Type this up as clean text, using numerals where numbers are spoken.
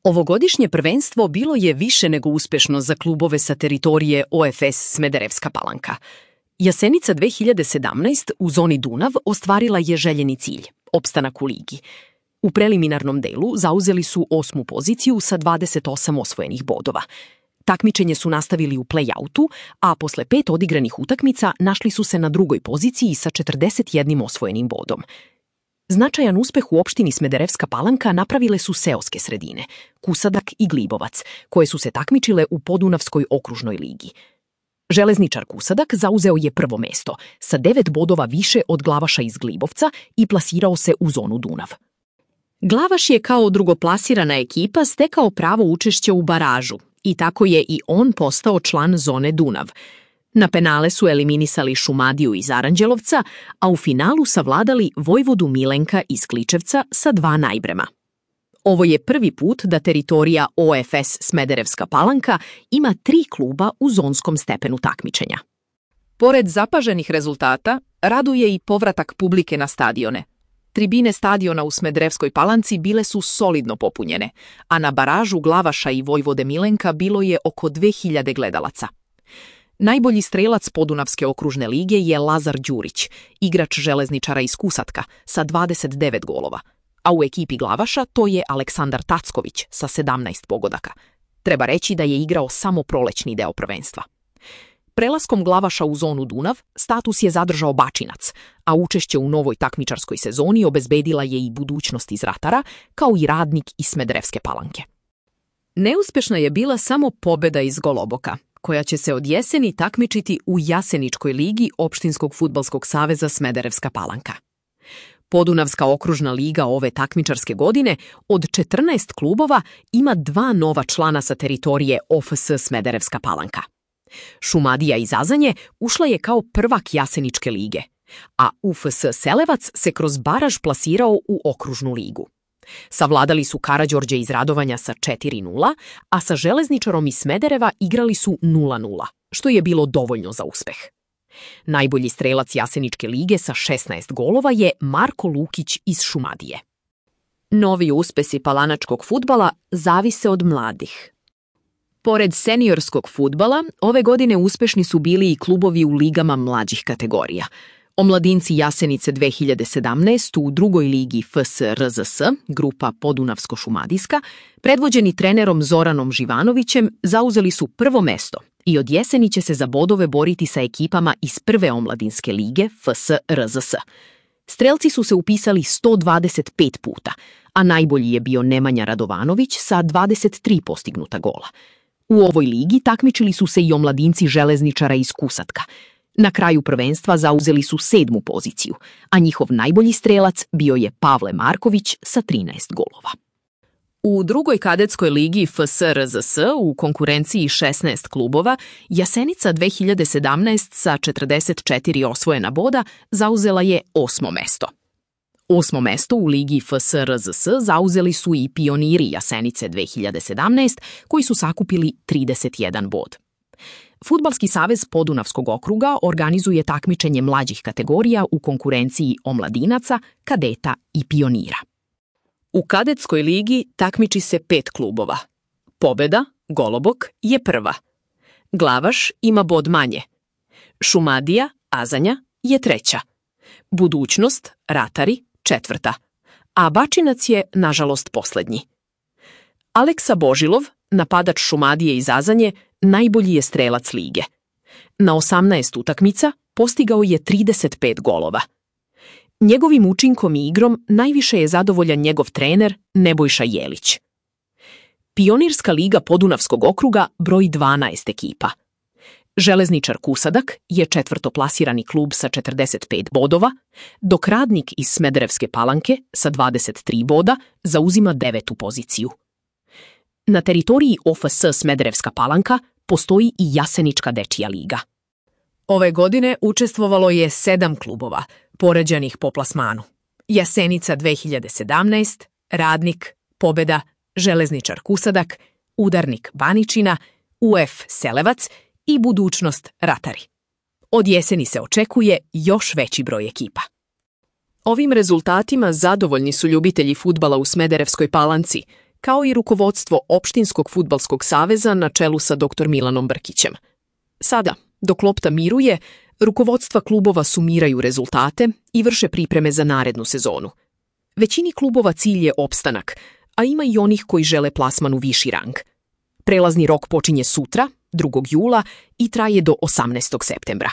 Ovogodišnje prvenstvo bilo je više nego uspešno za klubove sa teritorije OFS Smederevska Palanka. Jasenica 2017 u zoni Dunav ostvarila je željeni cilj – opstanak u ligi. U preliminarnom delu zauzeli su 8. poziciju sa 28 osvojenih bodova. Takmičenje su nastavili u play-outu, a posle 5 odigranih utakmica našli su se na 2. poziciji sa 41 osvojenim bodom. Značajan uspeh u opštini Smederevska Palanka napravile su seoske sredine, Kusadak i Glibovac, koje su se takmičile u Podunavskoj okružnoj ligi. Železničar Kusadak zauzeo je prvo mesto, sa 9 bodova više od Glavaša iz Glibovca i plasirao se u zonu Dunav. Glavaš je kao drugoplasirana ekipa stekao pravo učešća u baražu i tako je i on postao član zone Dunav. Na penale su eliminisali Šumadiju iz Aranđelovca, a u finalu savladali Vojvodu Milenka iz Kličevca sa 2 najbrema. Ovo je prvi put da teritorija OFS Smederevska Palanka ima 3 kluba u zonskom stepenu takmičenja. Pored zapaženih rezultata, raduje i povratak publike na stadione. Tribine stadiona u Smederevskoj Palanci bile su solidno popunjene, a na baražu Glavaša i Vojvode Milenka bilo je oko 2000 gledalaca. Najbolji strelac Podunavske okružne lige je Lazar Đurić, igrač železničara iz Kusatka, sa 29 golova, a u ekipi Glavaša to je Aleksandar Tacković sa 17 pogodaka. Treba reći da je igrao samo prolećni deo prvenstva. Prelaskom Glavaša u zonu Dunav, status je zadržao Bačinac, a učešće u novoj takmičarskoj sezoni obezbedila je i budućnost iz Ratara, kao i Radnik iz Smederevske Palanke. Neuspešna je bila samo pobeda iz Goloboka, koja će se od jeseni takmičiti u Jaseničkoj ligi Opštinskog fudbalskog saveza Smederevska Palanka. Podunavska okružna liga ove takmičarske godine od 14 klubova ima 2 nova člana sa teritorije OFS Smederevska Palanka. Šumadija iz Azanje ušla je kao prvak Jaseničke lige, a UFS Selevac se kroz baraž plasirao u okružnu ligu. Savladali su Karađorđe iz Radovanja sa 4-0, a sa Železničarom iz Smedereva igrali su 0-0, što je bilo dovoljno za uspeh. Najbolji strelac Jaseničke lige sa 16 golova je Marko Lukić iz Šumadije. Novi uspesi palanačkog fudbala zavise od mladih. Pored seniorskog fudbala, ove godine uspešni su bili i klubovi u ligama mlađih kategorija. Omladinci Jasenice 2017 u 2. ligi FSRZS, grupa Podunavsko-Šumadijska, predvođeni trenerom Zoranom Živanovićem, zauzeli su prvo mesto i od jeseni će se za bodove boriti sa ekipama iz 1. omladinske lige FSRZS. Strelci su se upisali 125 puta, a najbolji je bio Nemanja Radovanović sa 23 postignuta gola. U ovoj ligi takmičili su se i omladinci Železničara iz Kusatka. Na kraju prvenstva zauzeli su 7. poziciju, a njihov najbolji strelac bio je Pavle Marković sa 13 golova. U 2. kadetskoj ligi FSRZS u konkurenciji 16 klubova, Jasenica 2017 sa 44 osvojena boda zauzela je 8. mesto. 8. mesto u ligi FSRZS zauzeli su i pioniri Jasenice 2017, koji su sakupili 31 bod. Fudbalski savez Podunavskog okruga organizuje takmičenje mlađih kategorija u konkurenciji omladinaca, kadeta i pionira. U kadetskoj ligi takmiči se 5 klubova. Pobeda, Golobok, je prva. Glavaš ima bod manje. Šumadija, Azanja, je treća. Budućnost, Ratari, četvrta. A Bačinac je, nažalost, poslednji. Aleksa Božilov, napadač Šumadije iz Azanje, najbolji je strelac lige. Na 18 utakmica postigao je 35 golova. Njegovim učinkom i igrom najviše je zadovoljan njegov trener Nebojša Jelić. Pionirska liga Podunavskog okruga broji 12 ekipa. Železničar Kusadak je 4. plasirani klub sa 45 bodova, dok Radnik iz Smederevske Palanke sa 23 boda zauzima 9. poziciju. Na teritoriji OFS Smederevska Palanka postoji i Jasenička dečija liga. Ove godine učestvovalo je 7 klubova, poređanih po plasmanu. Jasenica 2017, Radnik, Pobeda, Železničar Kusadak, Udarnik Baničina, UF Selevac i Budućnost Ratari. Od jeseni se očekuje još veći broj ekipa. Ovim rezultatima zadovoljni su ljubitelji fudbala u Smederevskoj Palanci, kao i rukovodstvo Opštinskog fudbalskog saveza na čelu sa dr. Milanom Brkićem. Sada, dok lopta miruje, rukovodstva klubova sumiraju rezultate i vrše pripreme za narednu sezonu. Većini klubova cilj je opstanak, a ima i onih koji žele plasman u viši rang. Prelazni rok počinje sutra, 2. jula, i traje do 18. septembra.